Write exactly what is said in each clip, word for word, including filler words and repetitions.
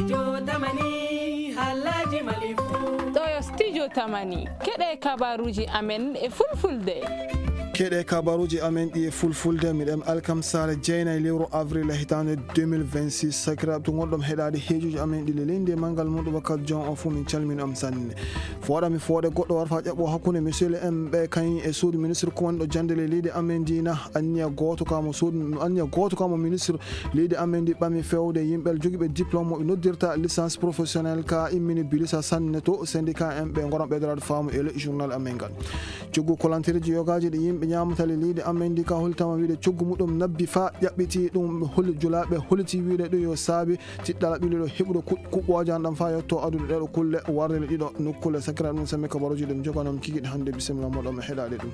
Studio Tamani, Halaji Malifu. Ɗo yo Studio Tamani. Keɗe kabaruji amen e fulfulde. Keɗe kabaruji amen ɗi e fulfulde, miɗen alkamsare jeenayi lewru avril e hitaande deux mille vingt-six. Sakiraaɓe to ngonɗon heɗaade heejuji amen ɗi le leydi e manngal muɗum wakkati jon o fof, min calmini on sanne. Fooɗa mi fooɗe goɗɗo warfa ƴaɓɓo hakkunde monsieur le M ɓe kañ e suudu ministre kumanɗo jannde le leydi amen ndi na anniya gooto ka mo suudu, anniya gooto ka mo ministre leydi amen ndi ɓami fewde yimɓe jogiiɓe diplôme mo ɓe noddirta licence professionnelle ka immini bilisa sanne to syndicat en ɓe ngoran ɓeydoraade faamu e le journal amen ngal. Coggu kolantereji yogaaji ɗi yimɓe ñaamata le leydi amen ndi ka holtama wiide coggu muɗum nabbi fa ƴaɓɓiti ɗum holi julaaɓe holiti wiide ɗum yo saabi tiɗɗala ɓilliɗo heɓude ku-, kuɓɓooje an ɗam fa yetto adude ɗeɗo kulle warde le ɗiɗo nokkule sakira ɗum sammi kabaruji ɗum joganom kikiɗe hannde bisimilla moɗon e heɗaade ɗum.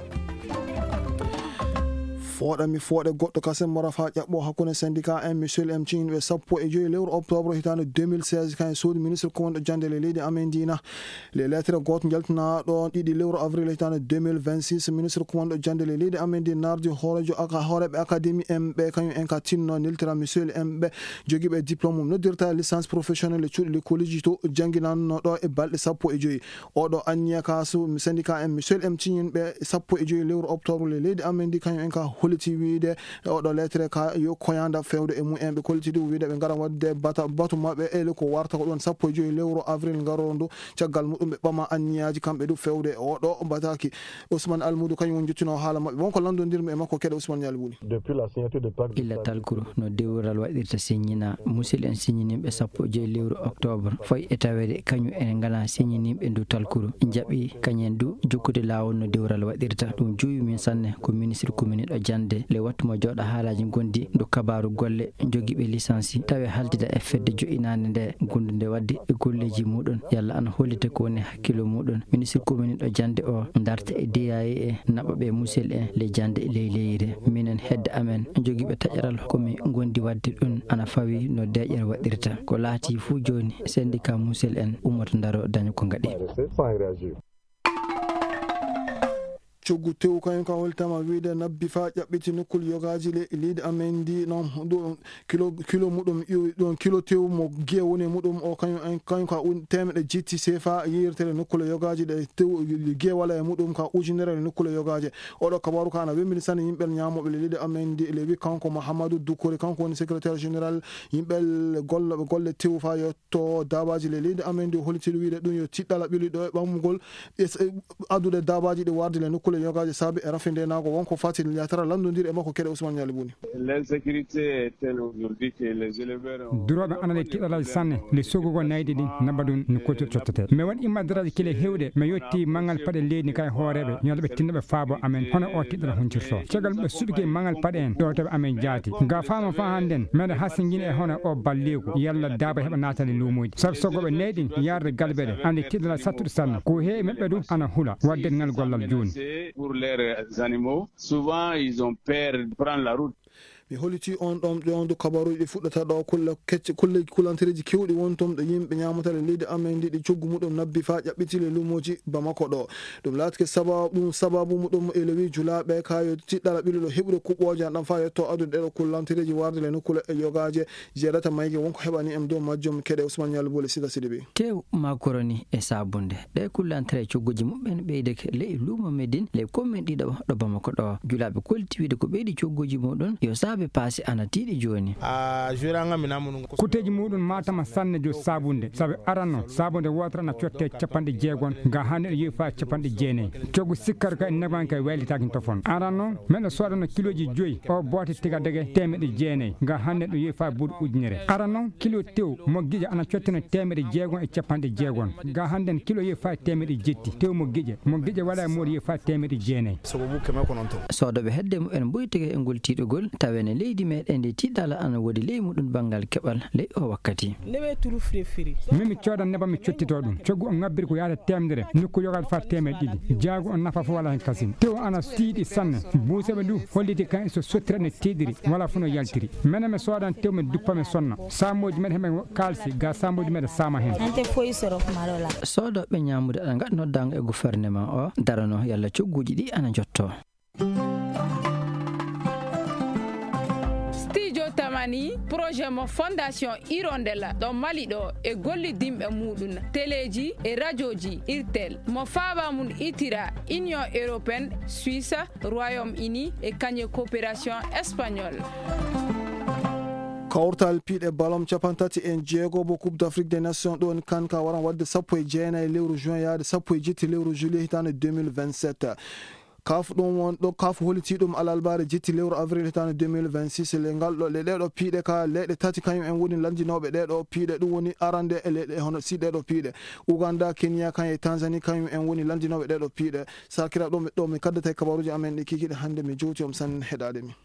Fooɗa mi fooɗe goɗɗo kasen mora fa ƴaɓɓo hakkunde syndicat en Michel M Cin ɓe sappo e joyi lewru octobre hitaande deux mille seize kan e suudu ministre kumanɗo jannde le leydi amen ndi na. Le lettre gooto njaltinaaɗo ɗiɗi lewru avril hitaande deux mille vingt-six, ministre kumanɗo jannde le leydi amen ndi nardi hoorejo aka-, hooreeɓe académie en ɓe kañum en ka tinno neltira Michel en ɓe jogiiɓe diplôme mum noddirta licence professionnelle e cuuɗi lekkooliji to jannginanno ɗo e balɗe sappo e joyi. Oɗo anniya ka su-, syndicat en Michel M Cin ɓe sappo e joyi lewru octobre le leydi amen ndi kañum en ka holliti wiide oɗo lettre ka yo koyanda fewde e mum en ɓe kolliti ɗum wiide ɓe ngara waɗde bata-, batu maɓɓe e le ko warta ko ɗon sappo e joyi lewru avril ngarondo. Caggal muɗum ɓe ɓama anniyaaji kamɓe du fewde e oɗo bataki. Ousmane Almudu kañum woni jottino haala maɓɓe. Wonko lanndondirmi e makko keɗe Ousmane Ñaali Buli. Depuis la signature de pacte de Illa stabilité. Talkuru no dewral waɗirta siññina. Musidɓe en siññiniiɓe sappo e joyi lewru octobre. Foy e taweede kañum en ngala siññiniiɓe ndu talkuru. Njaɓi kañum en du jokkude laawol no dewral waɗirta. Ɗum juuwi min sanne ko ministre commune ɗo jannde. Le wattu mo jooɗa haalaaji ngondi ndu kabaaru golle jogiiɓe lisansi. Tawi haaltida e fedde joɗɗinaande nde, gondunde waɗde e golleeji muɗum. Yalla ana hollita ko woni hakkilo muɗum. Ministre commune ɗo jannde o, darta e D A E e naɓa ɓe musel en le jannde e ley leyre. Minen hedde amen jogiiɓe taƴaral ko mi gondi waɗde ɗum ana fawi no deeƴere waɗirta. Ko laati fuu jooni, syndicat musel en ummoto ndaro daña ko ngaɗi. Coggu tew kañum ka holtama wiide nabbi fa ƴaɓɓiti nokkul yogaaji le leydi amen ndi noon ɗum kilo, kilo muɗum iwi ɗum kilo tew mo giye woni e muɗum o kañum en, kañum ka un-, temeɗe jetti sefa yeyrtere nokkule yogaaji ɗe tew giye wala e muɗum ka ujunere nokkule yogaaji. Oɗo kabaru ka ana wembini sanne yimɓe ñamoɓe le leydi amen ndi le wi kanko Mahamadou Doucouré, kanko woni secrétaire général yimɓe golloɓe golle tew fa yo to daabaaji le leydi amen ndi o holliti wiide ɗum yo tiɗɗala ɓili ɗo e ɓammugol e s-, e addude daabaaji ɗi warde le nokkule yogaaji saabi e rafindenaago wonko fati yatara lanndondiri e makko keɗe Ousmane Ñaali Buni. L'insécurité est telle aujourd'hui que les éleveurs ont Durooɓe ana le tiɗɗalal sanne le sogugol nayɗi ɗin nabba ɗum no kooti tottete. Mi waɗi immadraji kile hewɗe mi yetti mangal paɗe leydi kay hooreɓe ñande ɓe tinno ɓe faabo amen hono o tiɗɗal huncirto. Caggal ɓe suɓike mangal paɗe en ɗo tawi amen jaati. Nga faama fa hannden, meɗa hasingini e hono o balleeku, yalla daaba heɓa naatani luumuuji. Sabu sogoɓe neyɗi yarde galbeɗe, andi tiɗala sattuɗo sanne. Ko heewi maɓɓe du ana hula, wadde ngal gollal jooni. Pour leurs animaux, souvent ils ont peur de prendre la route. Mi holliti on ɗon, ɗon du kabaruuji ɗi fuɗɗata ɗo, kulle kecce, kulle kulantereeji kewɗi won ton ɗo yimɓe ñaamata le leydi amen ndi, ɗi coggu muɗum nabbi faa ƴaɓɓiti le luumooji Bamako ɗo. Ɗum laatike sababu, ɗum sababu muɗum e lewi julaaɓe ka yo tiɗɗala ɓiluɗo heɓude kuɓɓooje an ɗan faa yetto addude ɗeɗo kullantereeji warde le nokkuule e yogaaje jeeɗata mayge wonko heɓani en dow majjum keɗe Ousmane Ñaali Bole Sida Sidibe. Tew, makoroni e sabunde. Ɗe kullantere cogguji muɓɓen ɓeydeke ley luumo Medin, ley kommin ɗiɗo ɗo Bamako ɗo. Julaaɓe kolti wiide ko ɓeydi cogguji muɗum yo saabe paasi ana tiiɗi jooni. A juranga mi namunu. Kuteji muɗum matama sanne jo sabunde. Sabe aranno, sabunde wotere na cotte capanɗe jeegon, ga hande ɗo yeefa capanɗe jeenayi. Coggu sikkar ka en neban kay waylitaki tofon. Aranno, men ɗo sodano kiloji joyi, o bote tiga dege temeɗe jeenayi, ga hande ɗo yeefa buuɗi ujunere. Aranno, kilo tew mo giƴa ana cottino temeɗe jeegon e capanɗe jeegon. Ga hande kilo yeefa temeɗe jetti, tew mo giƴa, mo giƴa wala e moɗo yeefa temeɗe jeenayi. Sogo bu keme ko non to. Sodoɓe hedde mu en mboytike e ngol tiiɗugol, tawene leydi meɗen ndi tiiɗala ana wodi ley muɗum bangal keɓal ley o wakkati. Mimi coodan nebam mi cottito ɗum. Coggu o ngabbiri ko yaata temedere, nokku yogal faa temeɗe ɗiɗi. Jaagu on nafa fof wala hen kasin. Tew ana tiiɗi sanne. Buuseɓe du holliti kan so sottira ne tiiɗiri, wala fof no yaltiri. Menen mi soodan tew mi duppa mi sonna. Saamoji men heɓe kaalsi, ga saamoji men sama hen. Ante foyi soro marola. Sodoɓe ñamude ana ngaɗ noddango e gouvernement o, darano yalla cogguji ɗi ana jotto. Studio Tama Ani projet mo Fondation Hirondelle ɗo Mali ɗo e gollidinɓe muɗum teleeji e rajooji Irtel mo faaba mum itira Union Européenne, Suisse, Royaume-Uni e kañe coopération espagnole. Kawtal piiɗe balon capanɗe tati e jeego bo Coupe d'Afrique des Nations ɗo woni kan ka waran wadde sappo e jeenayi lewru juin yaade sappo e jetti lewru juillet hitaande deux mille vingt-sept. Kaf ɗum won ɗo kaf holiti ɗum alalbaare jetti lewru avril hitaande deux mille vingt-six le ngal ɗo le ɗeɗo piiɗe ka leyɗe tati kañum en woni landinooɓe ɗeɗo piiɗe ɗum woni arande e leyɗe hono si ɗeɗo piiɗe Uganda, Kenya kan e Tanzanie kañum en woni landinooɓe ɗeɗo piiɗe. Sakira ɗo mi ɗo mi kaddata e kabaruji amen ɗi kikiɗe hannde mi jowti on sanne heɗaade mi.